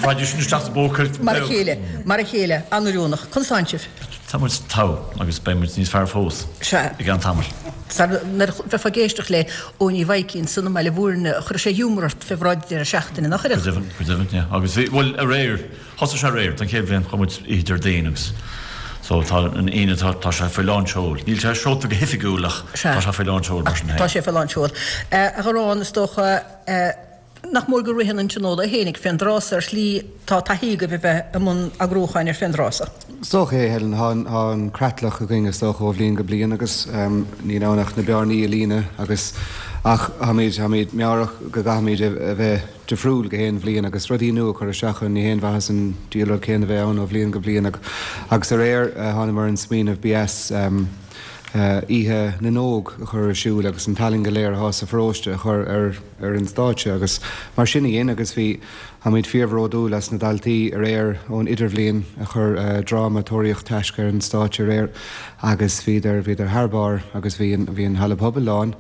Raghaidís sin isteach sa bpóca. Mar a chéile, mar a chéile, an-oiriúnach. Conas tánn sibh? Tá muid togha agus beidh muid níos fearr fós Sea. i gceann tamaill. Nuair a bheifeá ag éisteacht le Eoin Uí Mhaidhcí ansan i mBaile Bhúirne, chuirfeadh sé giúmar ort fé bhráid deireadh seachtaine, nach Go gcuirfeadh? deimhin, go deimhin, yeah. Agus bhí, bhuel, aréir, thosaigh sé aréir, don chéad bhliain, chuaigh muid oíche Déardaoin agus so tá an Aoine, tá, tá sé faoi lán seoil. Níl sé seolta go hoifigiúil ach Sea. tá sé faoi lán seoil mar sin Tá féin. sé faoi lán seoil. A Gharrán, is dócha, nach mór go ritheann an tionól é fhéinig fén dtráth so ar shlí, tá taithí agaibh a bheith i mbun eagrúcháin ar fén dtráth so. Is dócha é, Helen. Tá tá an creatlach againn is dócha ó bhliain go bliain agus níl ann ach na bearnaí a líonadh agus ach táimid táimid meabhrach go gcaithfimid a bheith difriúil go haon bhliain agus rudaí nua a chur isteach ann. Ní haon mhaitheas an diabhal rud céanna a bheith ann ó bhliain go bliain agus aréir thánamar ar an smaoineamh ba dheas Oíche na nÓg a chur ar siúl agus an tallann go léir atá sa pharóiste a chur ar ar an stáitse agus mar sin a dhein agus bhí táimid fíorbhródúil as na daltaí aréir ón idirbhliain a chur dráma Tóraíocht Taisce ar an stáitse aréir agus bhíodar bhíodar thar barr agus bhí an bhí an halla pobail lán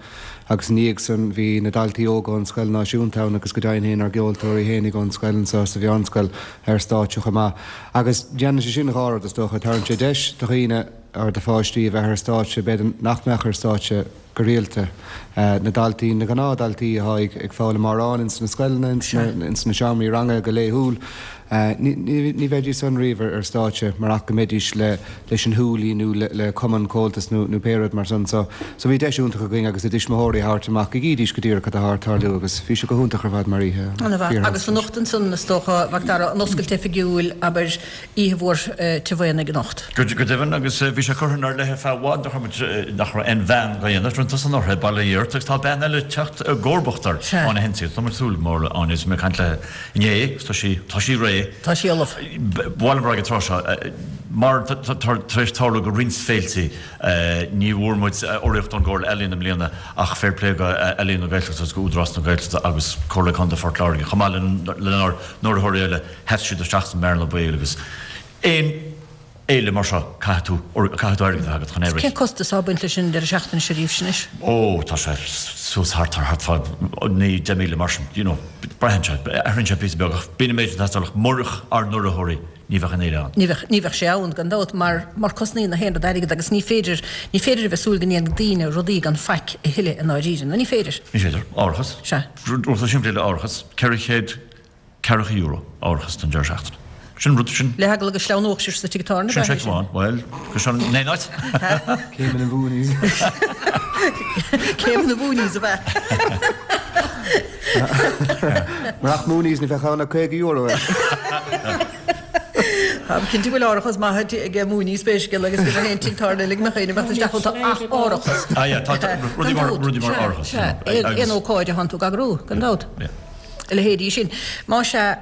agus ina dhiaidh san bhí na daltaí óga ón scoil náisiúnta ann agus go deimhin féin ár gceoltóirí fhéinig ón scoil anseo sa mheánscoil ar stáitse chomh maith agus déanann sé sin dhá rud is dócha tabharann sé deis do dhaoine or do pháistí a bheith ar stáitse, b'fhéidir nach mbeadh ar stáitse go rialta. Na daltaí, na gnáthdhaltaí atá ag foghlaim amhrán ins na scoileanna, ins na seomraí ranga go laethúil, ní bheidís san riamh ar stáitse marach go mbeidís leis an Húlaí nó le cumann Comhaltas nó pé rud mar san. So bhí deis iontach againn agus a dtuismitheoirí a thabhairt amach go gcídís go díreach cad atá ag tarlú agus bhí sé go hiontach ar fad mar oíche. An-mhaith. Agus anocht ansan is dócha, a Mhac Dara, an oscailt oifigiúil, abair, oíche mhór Tigh Mhaonaigh anocht. Go deimhin, agus bhí sé curtha inár leith ar feadh i bhfad nach raibh muid, nach raibh aon bhean dhá dhéanamh, rinne tusa anuraidh, bail ó Dhia ort, agus tá bean eile ag teacht i gcomharbacht air, Áine Hensey, agus tá muid ag súil go mór le Áine, is mé ag caint léi inné, agus tá sí, tá sí réidh. Tá sí ullamh. Ba mhaith liom a rá ag an tráth seo, mar tá tar éis tarlú go roinnt féiltí, ní bhfuair muid urraíocht ón gComhairle Ealaíon i mbliana ach fair play go Ealaíon na Gaeltachta agus go Údarás na Gaeltachta agus Comhairle Contae Phort Láirge chomh maith lenár n-urraitheoirí eile, sheas siad isteach sa mbearna baoil agus aon fhéile mar seo caithfidh tú caithfidh tú airgead a bheith agat chun é a rith. Cén costas atá ag baint leis an deireadh seachtaine seo daoibhse anois? Ó, tá sé suas thart ar thart fá naoi, deich míle mar sin, you know, braitheann sé, athraíonn sé píosa beag ach bíonn an méid sin ag teastáil ach murach ár n-urraitheoirí ní bheadh an fhéile ann. Ní bheadh, ní bheadh sé ann gan dabht mar, mar cosnaíonn na haon rud airgead agus ní féidir, ní féidir a bheith ag súil go ndéanfaidh daoine rudaí gan faic a thuilleadh i ndáiríre, nó ní féidir. Ní féidir. Árachas. Sea. Rud simplí le árachas, ceithre chéad ceathracha euro árachas don deireadh seachtaine. Sin rud, sin. Le heagla go sleamhnódh sibh sa tigh tábhairne, Sin seic amháin. Bhuel, go sin in aon áit. Céim na Moonies. Céim na Moonies ab ea? Murach Moonies ní bheadh ann ach caoga euro. Táim cinnte go bhfuil árachas maith ag Moonies pé scéal agus bhí mé féin tigh tábhairne uilig mo chaoine beadh isteach iontu ach árachas. Ah yeah, tá rudaí mar rudaí mar árachas. Sea, aon ócáid a thánn tú ag eagrú, gan dabht. A leithéidí sin. Más ea,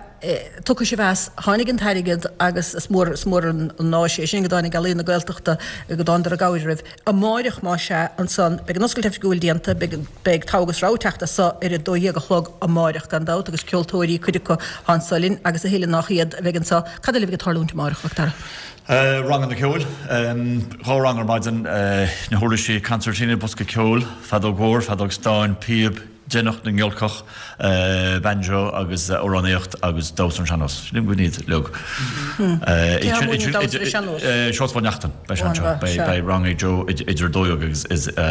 tugtha sibh as, tháinig an t-airgead agus is mór, is mór an áis é sin go dtáinig Ealaíon na Gaeltachta, go dtánadar i gcabhair oraibh. Amáireach, más ea, ansan, beidh an oscailt oifigiúil déanta, beidh, beidh Togha agus Rogha ag teacht as so ar a dó dhéag a chlog amáireach gan dabht agus ceoltóirí, cuid acu atá anso linn agus a thuilleadh nách iad a bheidh anso. Cad eile a bheidh ag tarlúint amáireach, a Mhac Dara? Ranganna ceoil, dhá rang ar maidin, na huirlisí concertina, bosca ceoil, feadóg mhór, feadóg stáin, píob, Deineach na nGiolcach, banjo agus amhránaíocht agus damhsa ar an sean-nós. Sílim go iad uilig. Cé a mhúineann damhsa ar an sean-nós? Seosamh Ó Neachtain. Beidh sé anseo. Beidh rang ag Joe idir a dó dhéag agus idir a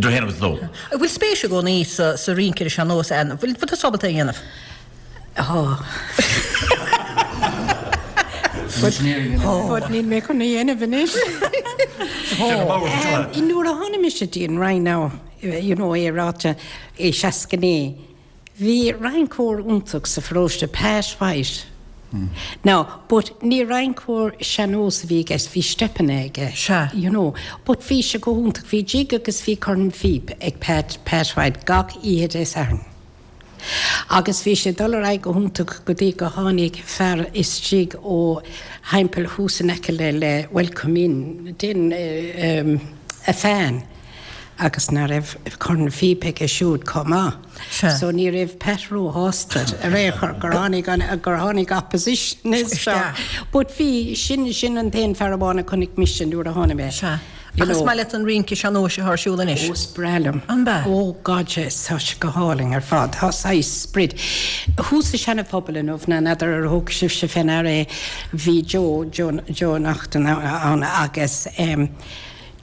haon agus a dó. An bhfuil spéis i gcónaí sa rince ar an sean-nós, Ann? An bhfuil tusa ábalta é a dhéanamh? Tá. But níl mé chun é a dhéanamh anois. Nuair a tháinig mise dtí an Rinn now, you know, é ráite i seasca naoi, bhí rinceoir iontach sa pharóiste, Pat White. Now, but ní rinceoir sean-nós a bhí i gceist, bhí steipeanna aige, Sea. you know. But bhí sé go hiontach, bhí jig agus bhí corn phíb ag Pat, Pat White gach oíche Dé Sathairn. Agus bhí sé ag dul ar aghaidh go hiontach go dtí go tháinig fear istigh ó theampall thuas in aice le le Welcome Inn, den a fan agus ná raibh corn phíb aige siúd chomh maith. Sea. So ní raibh Pat róshásta ar aon chor gur tháinig an gur tháinig opposition isteach. Isteach. But bhí, sin sin an t-aon fear amháin a chonaic mise nuair a tháinig mé. Sea. You Agus maith leat an rince sean-nóis atá ar siúl anois? Ó, is breá liom. An bea? Ó, God, yes, tá sé go hálainn ar fad. Tá saghas sprid. Thuas sa Seana-Phobal inniu, ná n'fheadar ar thug sibhse fé ndeara é, bhí Joe, Joe, Joe Naughton ann agus em,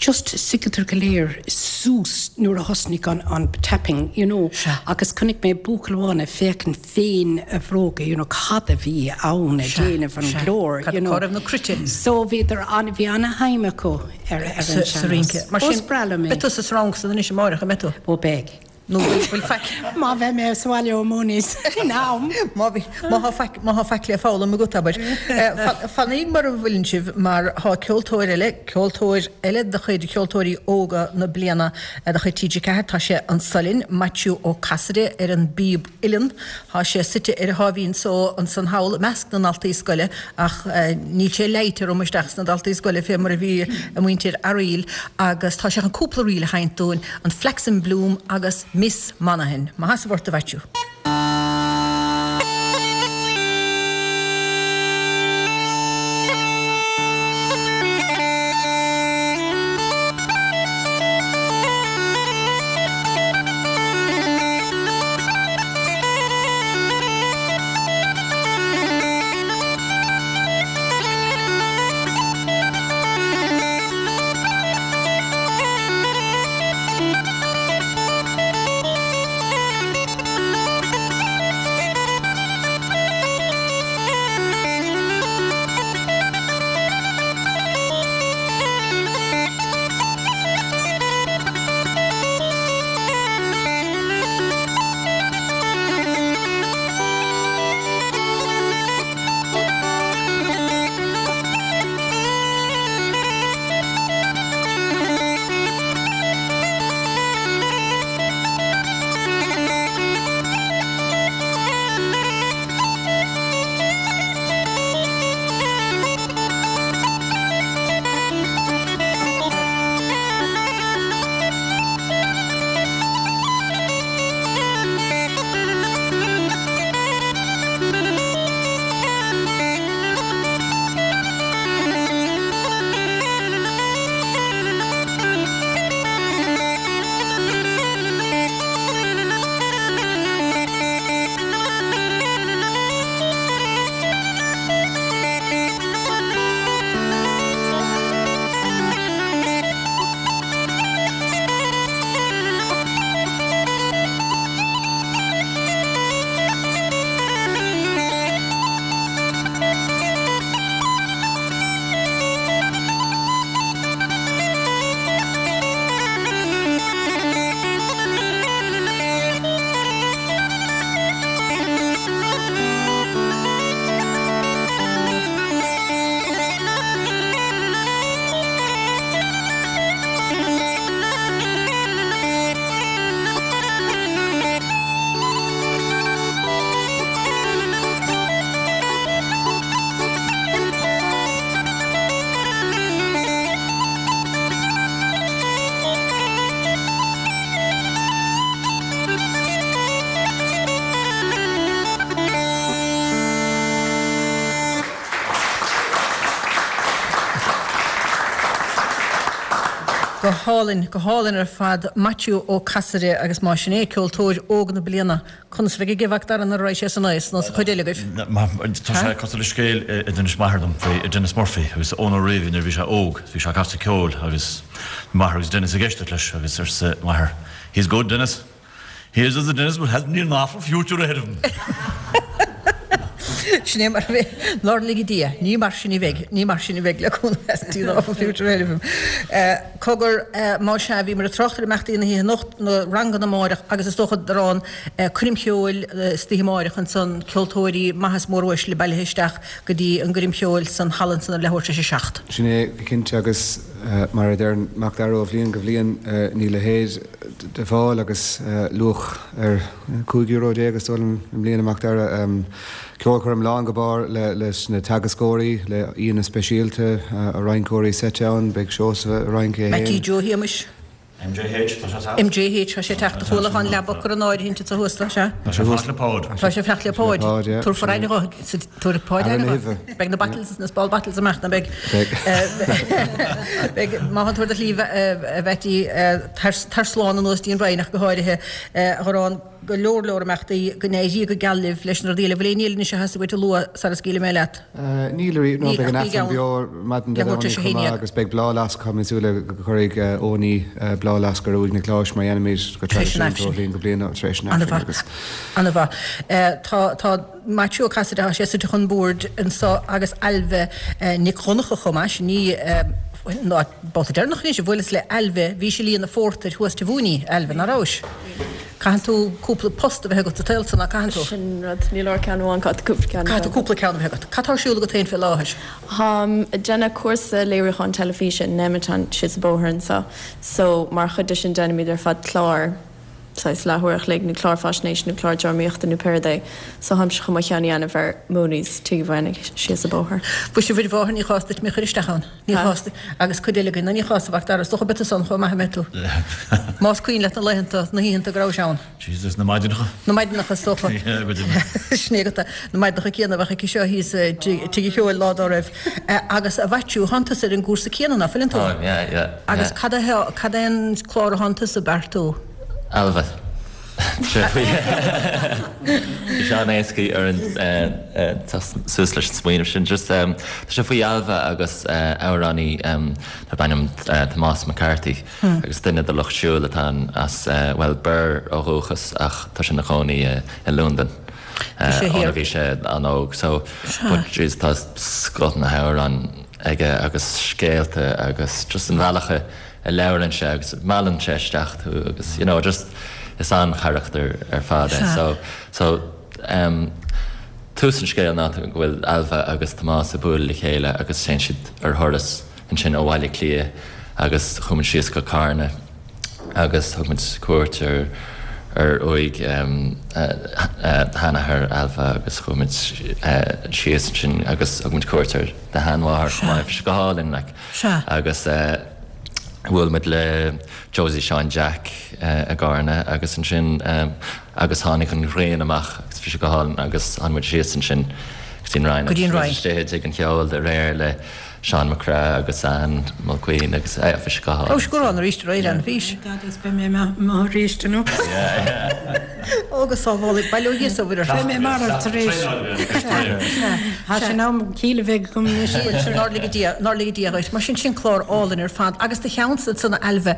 just suíodar go léir suas nuair a thosnaigh an, an tapping, you know, Sea. agus chonaic mé buachaill amháin ag féachaint fén a bhróga, you know, cad a bhí ann ag Sea, déanamh an sea. glór, Cad, you know. cá raibh na cruite? So bhíodar an, bhí ana-shuim acu ar, ar an Sa, sa sean-nós. rince. Mar Ó, sin, is breá liom é. beidh tusa sa rang san anois amárach, an mbeidh tú? Ó, beidh. Nó bhfuil, bhfuil faic? Má bheidh mé sa bhaile ó Mooney's in am. Má bhí, má thá faic, má thá faic le foghlaim agat, abair. Eh, Fanaigí mar a bhfuileann sibh mar thá ceoltóir eile, ceoltóir eile de chuid ceoltóirí óga na bliana de chuid T G ceathair, tá sé anso linn, Maitiú Ó Casaide ar an bpíob uilleann. Thá sé suite ar a sháimhín só ansan thall i measc na ndaltaí scoile ach níl sé leáite rompu isteach sna daltaí scoile fé mar a bhí a muintir Fhearaíl agus tá sé chun cúpla ríl a sheinnt dúinn, an Flax in Bloom agus Miss Monaghan. Maith as a bhur a Mhaitiú. Go hálainn, go hálainn ar fad, Maitiú Ó Casaide agus má sin é ceoltóir óg na bliana, conas a bheidh ag Mac Dara nuair a raghaidh sé san aos nó sa chuid eile agaibh? Tá sé cosúil le scéal a d'inis m'athair dom faoi Denis Murphy agus Eoin Ó Riabhaigh nuair a bhí sé óg, bhí sé ag casadh ceoil agus m'athair agus Denis ag éisteacht leis agus arsa m'athair, He's good, Denis. He is the Denis but hasn't he an awful future ahead of him. Sin é mar a bheidh, nár lige Dia, ní mar sin a bheidh, ní mar sin a bheidh le cúnamh Dé an awful future ahead of him. Cogar, má sea, bhíomar ag trácht ar imeachtaí na hoíche anocht, na ranganna amáireach agus is dócha Darán, coirm cheoil istoíche amáireach ansan, ceoltóirí maithe is móruaisle bailithe isteach go dtí an gcoirm cheoil san halla ansan ar leathuair tar éis a seacht. Sin é go cinnte agus mar a deir Mac Dara ó bhliain go bhliain níl a leithéid de fáil agus luach ar cúig euro déag is dóigh liom i mbliana Mac Dara. Ceolchoirm lán go barr leis na teagascóirí, le aíonna speisialta, rinceoirí seite ann, beidh Seosamh ag rince é Mattie féin. Joe Shéamuis. MJH, tá sé MJH, tá sé teacht chuala an leaba cur an áirithint sa thuas sé. Tá sé fanacht le Páid. Tá sé fanacht le Páid. Tabharfar aire dho, tabharfaidh Páid aire dho. Beidh na bottles na small bottles amach na beidh. Beidh má tánn tú ar do shlí a Bheití tar slán anuas dtí an Rinn ach go háirithe a Ghoráin go leor leor imeachtaí go n-éirí go geal libh leis na rudaí eile. Bhfuil aon ní eile anois a theastaigh uait a lua sara scaoilfidh mé leat? Níl ariamh, no, beidh an Aifreann beo maidin Dé Domhnaigh chomh maith agus beidh bláthfhleasc, tá mé ag súil le go gcuirfidh Eoiní bláthfhleasc ar uaigh Niocláis mar a dhéanaimid go traidisiúnta ó bhliain go bliain tar éis an Aifrinn agus. Ana-mhaith. Tá, tá Maitiú Ó Casaide, tá sé suite chun boird anseo agus Ailbhe Nic Dhonncha chomh maith, sin í an babhta deireanach anois a bhuaileas le Ailbhe, bhís ag líonadh phórtair thuas Tigh Mhúiní, Ailbhe, ná rabhais? Caitheann tú cúpla post a bheith agat sa tsaol so, ná caitheann tú? Sin rud, ní leor ceann amháin, caithfidh tú cúpla ceann a bheith agat. Caithfidh tú cúpla ceann a bheith agat. Cad tá ar siúl agat féin fé láthair? Táim ag déanamh cúrsa léiriúcháin teilifíse in Nemeton síos an bóthar anseo so mar chuid de sin déanaimid ar fad clár saghas leathuair a chloig nó clár faisnéise nó clár drámaíochta nó pé rud é so táimse chun mo cheann a dhéanamh ar Mooney's Tigh Uí Mhaonaigh síos an bóthar. Mhuise a Mhuire Mháthair ní chás duit mé a chur isteach ann. Ní chás duit. Agus cuid eile againn, nó ní chás a Mhac Dara, is dócha beidh tusa ann chomh maith a mbeidh tú. Más cuimhin leat na laethanta, na hoícheanta go rabhais ann. Jesus, na maidineacha. Na maidineacha is dócha. Yeah, go deimhin. Sin é agat é. Na maidineacha céanna a bheadh aici seo thíos i dTigh an Cheoil lá dá raibh. Agus a Mhaitiú, thánn tusa ar an gcúrsa céanna, ná fuileann tú? Táim, yeah, yeah. Agus cad é, cad é an clár a thánn tusa ag beartú? Ailbhe. Bhí sé an-éasca orainn teacht suas leis an smaoineamh sin. Just tá sé faoi Ailbhe agus amhránaí darb ainm Tomás McCarthy agus duine de lucht siúil atá ann as, bhuel, Birr ó dhúchas ach tá sé ina chónaí i Londain óna bhí sé an-óg. So, but jeez tá scoth na hamhrán aige agus scéalta agus just an bhealach a a labhrann sé agus meallann sé isteach tú agus you know just is an-charachtar ar fad é. So so em tús an scéil ná go bhfuil Ailbhe agus Tomás ag bualadh le chéile agus téann siad ar thuras ansin ó Bhaile Átha Cliath agus chuaigh muid síos go Carna agus thug muid cuairt ar ar uaigh em sheanathair Ailbhe agus chuaigh muid síos ansin agus thug muid cuairt ar do sheanmháthair chomh maith. Bhí sé go hálainn like. Sea. Agus eh bhuail muid le Josie Seán Jack i gCarna agus ansin agus tháinig an ghrian amach agus bhí sé go hálainn agus tháinig muid síos ansin go dtí an Rinn Go dtí an agus bhí muid Rinn. istigh i dTigh an Cheoil aréir le Seán Mac Craith agus Ann Mulqueen agus eh bhí sé go hálainn. Raibh sé go ráin arís aréir Ann, bhís? Dad is beidh mé amuigh arís anocht. Ó go sábhála, bail ó Dhia is ó Mhuire ort. Beidh mé marbh tar éis. Tá sé in am ciall a bheith agam anois. Nár lige Dia, nár lige Dia dhuit. Mar sin, sin clár álainn ar fad. Agus do cheannsa ansan a Ailbhe,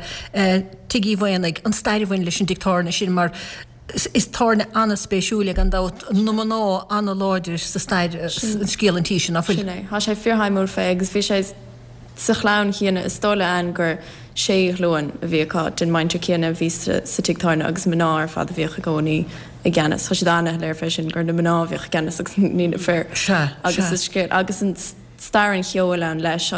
Tigh Uí Mhaonaigh, an stair a bhain leis an dtigh tábhairne sin mar is tábhairne an-spéisiúil é gan dabht, na mná an-láidir sa stair, scéal an tí sin, ná fuil? Sin é. Tá sé fíorshuimiúil fé agus bhí sé sa chlann chéanna, is dóigh le Ann gur sé ghlúin a bhí acu den muintir chéanna a bhí sa tigh tábhairne agus mná ar fad a bhíodh i gcónaí i gceannas. Tá siad an-shoiléir fé sin gur na mná a bhíodh i gceannas agus ní na fir. Sea, Agus sea. is scéal, agus an stair an cheoil ann leis,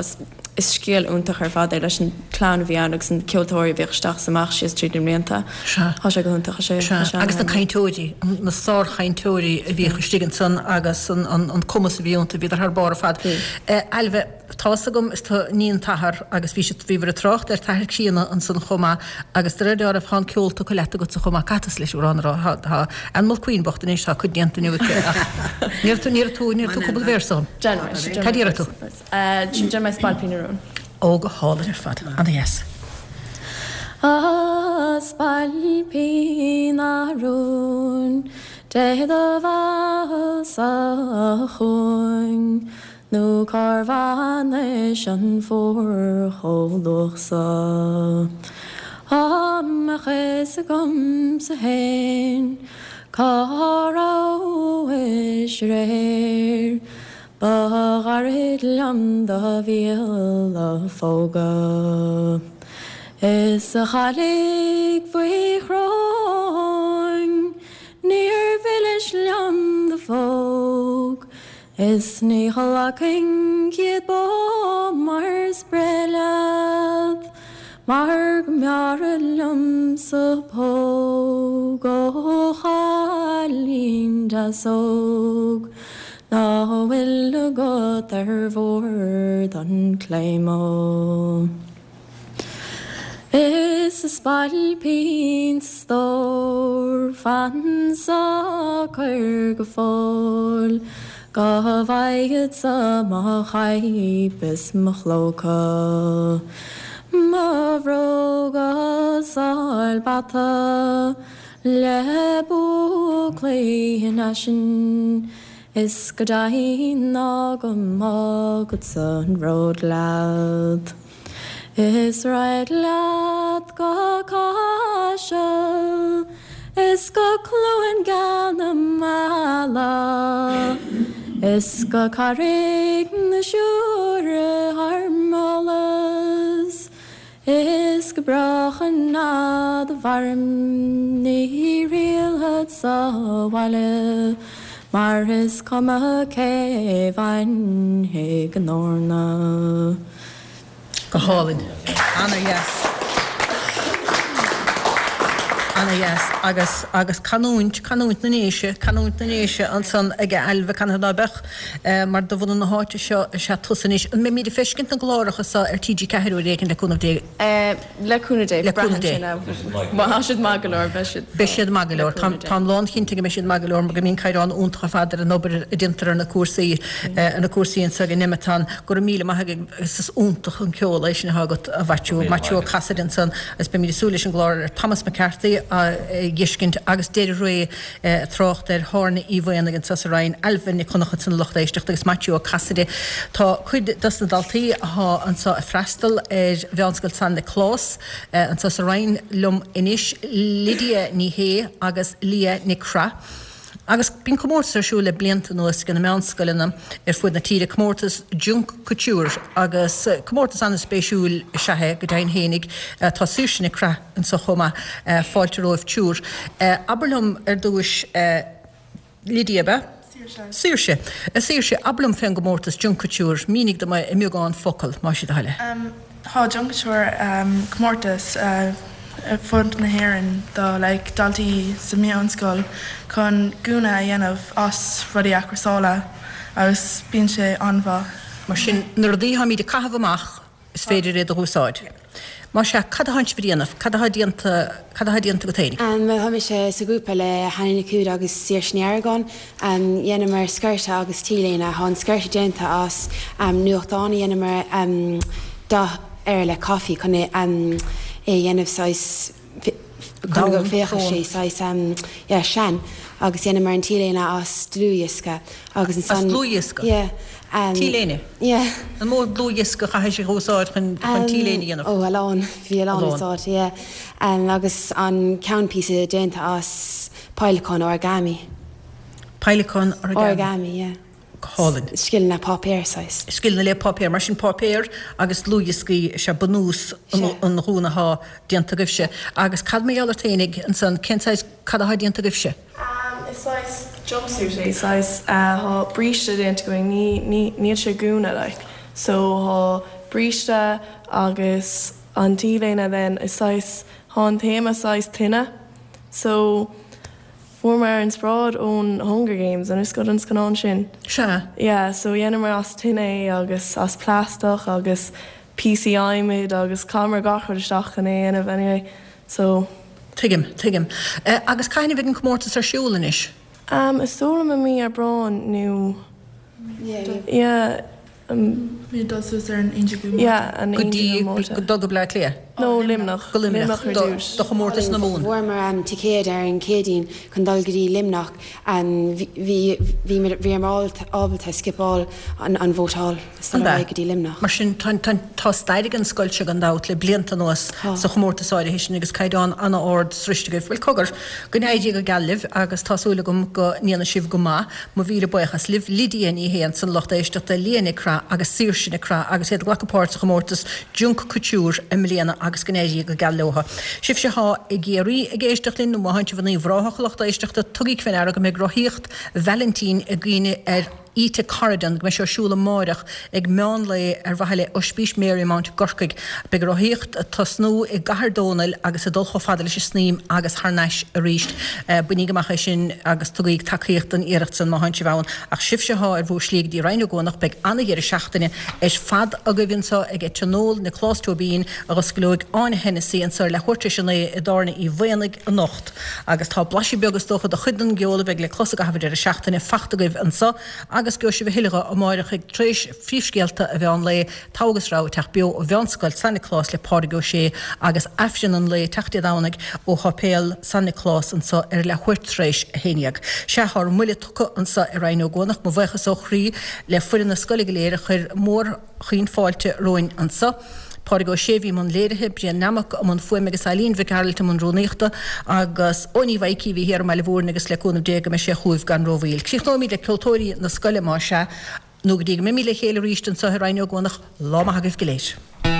is scéal iontach ar fad é leis an chlann a bhí ann agus na ceoltóirí a bhíodh isteach is amach síos tríd na mblianta. Sea. Tá sé go hiontach, tá sé, Sea, tá sé agus na an-shuimiúil. cainteoirí, na sárchainteoirí a bhíodh istigh ansan agus an, an, an cumas a bhí iontu, bhíodar thar barr ar fad. Bhí. Ailbhe, Tá's agam, is tú iníon t'athar agus bhí siad, bhíobhair ag trácht ar t'athair críonna ansan chomh maith agus de réir dealraimh tá an ceol tugtha leat agatsa chomh maith, caithfidh tusa leis amhrán a rá, tá, tá Ann Mulqueen bocht anois, tá cuid déanta inniu aici ach ní raibh tú, ní raibh tú, ní raibh tú cúpla véarsa dhom. Déanfaidh mé, Cad iarrfaidh tú? Déanfaidh mé Spailpín na Rún. Ó, go hálainn ar fad, ana-dheas. A Spailpín na Rún, téigh do bhealach-sa chugainn, Nó cár bhainis an phór chomh luath so? Dá mbeadh fhios agamsa fhéin cá rabhais aréir, Ba ghairid liom do mhíol a phógadh. Is a chailligh bhuí chróin, níor mhilis liom do phóg, Is ní ghlacfainn céad bó mar spraoi leat, Mar go mb'fhearra liomsa póg ó chailín deas óg Ná fuil agat ar bhord an Claymore. Is a spailpín 's a stór fan socair go fóill Go bhfaighidsa mo chaidhp is mo chlóca Mo bhróga sáil bata le búclaí in aisin Is go deimhin ná go mbágadsa an ród leat. Is raghad leat go Caiseal Is go Cluain Geal na Meala Is go Carraig na Siúire thar m'eolas Is go brách an fhad a mhairim ní thriallfad sa bhaile Mar is cuma cé bhainfidh an eorna. Go hálainn. Ana-dheas. Ana-dheas. Agus, agus canúint, canúint na nDéise, canúint na nDéise ansan ag Ailbhe, canathaobh ná beadh, mar de bhunadh na háite seo is ea tusa anois. An mbeimid ag feiscint na gcláracha seo ar T G ceathair uair éigin le cúnamh Dé? Le cúnamh Dé. Le cúnamh Dé. Má tá siad maith go leor, beidh siad. Beidh siad maith go leor. Táim lánchinnte go mbeidh siad maith go leor mar go mbíonn caighdeán iontach ar fad ar an obair a déantar ar na cúrsaí, ar na cúrsaí anseo ag Nemeton. Go raibh míle maith agaibh agus is iontach an ceol é sin atá agat, a Mhaitiú, Maitiú Ó Casaide ansan agus beimid ag súil leis an gclár ar Thomas McCarthy a dh'fheiscint agus deireadh ré ag trácht ar Thárna Uí Mhaonaigh anseo sa Rinn, Ailbhe Nic Dhonncha ansan a lucht éisteachta agus Maitiú Ó Casaide. Tá cuid dos na daltaí athá anseo ag freastal ar Mheánscoil San Nioclás anseo sa Rinn liom anois, Lydia Ní Shé agus Leah Nic Craith. Agus bíonn comórtas ar siúl le blianta anuas ag na meánscoileanna ar fud na tíre, comórtas Junk Kouture, agus comórtas an-spéisiúil is ea é, go deimhin fhéinig. Tá Saoirse Nic Craith anseo chomh maith. Fáilte romhaibh triúr. Abair liom ar dtúis, Lydia, ab ea? Saoirse. Saoirse. A Saoirse, abair liom fén gcomórtas Junk Kouture, mínigh dom é i mbeagán focal, más é do thoil é. Tá Junk Kouture comórtas ar fud na hÉireann do like daltaí sa meánscoil chun gúna a dhéanamh as rudaí athchúrsála agus bíonn sé an-mhaith. Mar sin, na rudaí atáimid ag caitheamh amach, is féidir iad a dh'úsáid. Más ea, cad atánn sibh a dhéanamh? Cad atá déanta, cad atá déanta agat fhéinig? Bhuel, tá mise sa ghrúpa le Hannah Nic Uaid agus Saoirse Ní Argáin. Dheineamar sciorta agus T-léine. Tá an sciorta déanta as nuachtán a dheineamar dath air le caife chun é a dhéanamh saghas, chun go bhféachfadh sé saghas, yeah, sean. Agus dheineamar an T-léine as dlúthdhiosca agus ansan. As dlúthdhiosca? Yeah. T-léine? Yeah. An mó dlúthdhiosca a chaithfidh sibh a úsáid chun T-léine a dhéanamh? Ó, a lán. Bhí a lán úsáid, yeah. Agus an ceannphíosa déanta as peidhleacán origami. Peidhleacán origami? Origami, yeah. Go hálainn. Scileanna páipéir, saghas. Scileanna le páipéar. Mar sin páipéar agus dlúthdhioscaí is ea bunús an ghúna athá déanta agaibhse. Agus cad mar gheall ort fhéinig ansan, cén saghas, cad athá déanta agaibhse? Is saghas jumpsuit é, saghas, tá bríste déanta againn, ní, ní, níl sé gúna like. So tá bríste agus an T-léine then is saghas, tá an téama saghas tine. So fuaireamar inspioráid ón Hunger Games, an bhfuil fhios agat an scannán sin? Sea. Yeah, so dheineamar as tine é agus as plaisteach agus píosaí adhmaid agus chaitheamar gach rud isteach chun é a dhéanamh anyway. So. Tuigim, tuigim. Agus cathain a bheidh an comórtas ar siúl anois? Um, is dóigh liom i mí Aibreáin nó. Yeah. Mé ag dul suas ar an aon déag Márta. Yeah, an Go aon dtí, déag Márta. go dul go Bleá Cliath? No, Luimneach. Go Luimneach. Luimneach ar dtús. Do chomórtas na Mumhan. Bhuamar ticéad ar an Chéadaoin chun dul go dtí Luimneach. Bhí, bhí, bhíomar ábalta scipeáil an, an vótáil is dul An ar ea? aghaidh go dtí Luimneach. Mar sin, tá, tá, tá stair ag an scoil seo gan dabht le blianta anuas Tá. sa chomórtas áirithe sin agus caighdeán an-ard sroiste agaibh. Bhuel, cogar, go n-éirí go geal libh agus tá súil agam go ndéanfaidh sibh go maith. Mo mhíle buíochas libh, Lydia Ní Shé ansan lucht éisteachta, Leah Nic Craith agus Saoirse Nic Craith agus iad ag glacadh páirt sa chomórtas Junk Kouture i mbliana agus go n-éirí go geal leo. Sibhse atá i gCiarraí ag éisteacht linn nó má thánn sibh in Uíbh Ráthach a lucht éisteachta, tugaigí faoi ndeara go mbeidh rothaíocht Vailintín i gcuimhne ar Ita Corridon, go mbeidh sé ar siúl amáireach ag meán lae ar mhaithe le Ospís Marymount i gCorcaigh. Beidh an rothaíocht ag tosnú i gCathair Dónall agus ag dul chomh fada leis an Snaidhm agus thar n-ais arís. Bainigí amach é sin agus tugaigí tacaíocht don iarracht san má thánn sibh ann. Ach sibhse athá ar bhur slí go dtí Rinn Ó gCuanach, beidh ana-dheireadh seachtaine ar fad agaibh anso ag Tionól Nioclás Tóibín a dh'osclóidh Áine Hennessy anso ar leathuair tar éis a naoi i dTábhairne Uí Mhaonaigh anocht. Agus tá blaiseadh beag is dócha de chuid den gceol a bheidh le clos i gcaitheamh an deireadh seachtaine fachta agaibh anso agus gheobhaidh sibh a thuilleadh dhe amáireach ag tar éis phríomhscéalta an mheán lae, Togha agus Rogha ag teacht beo ó Mheánscoil San Nioclás le Pádraig Ó Sé agus Aifreann an lae teacht Dé Domhnaigh ó Sháipéal San Nioclás anso ar leathuair tar éis a haon dhéag. Sea, tá ár mbuille tugtha anso i Rinn Ó gCuanach. Mo bhuíochas ó chroí le foireann na scoile go léir a chuir mórchaoin fáilte romhainn anso. Pádraig Ó Sé a bhí i mbun léirithe, Brian Nammock i mbun fuaime agus Eileen Mhic Gearailt i mbun rúnaíochta agus Eoiní Mhaidhcí a bhí thiar i mBaile Mhúirne agus le cúnamh Dé go mbeidh sé chugaibh gan rómhoill. Críochnóimid le ceoltóirí na scoile más ea, nó go dtí go mbeimid le chéile arís anseo i Rinn Ó gCuanach, lá maith agaibh go léir.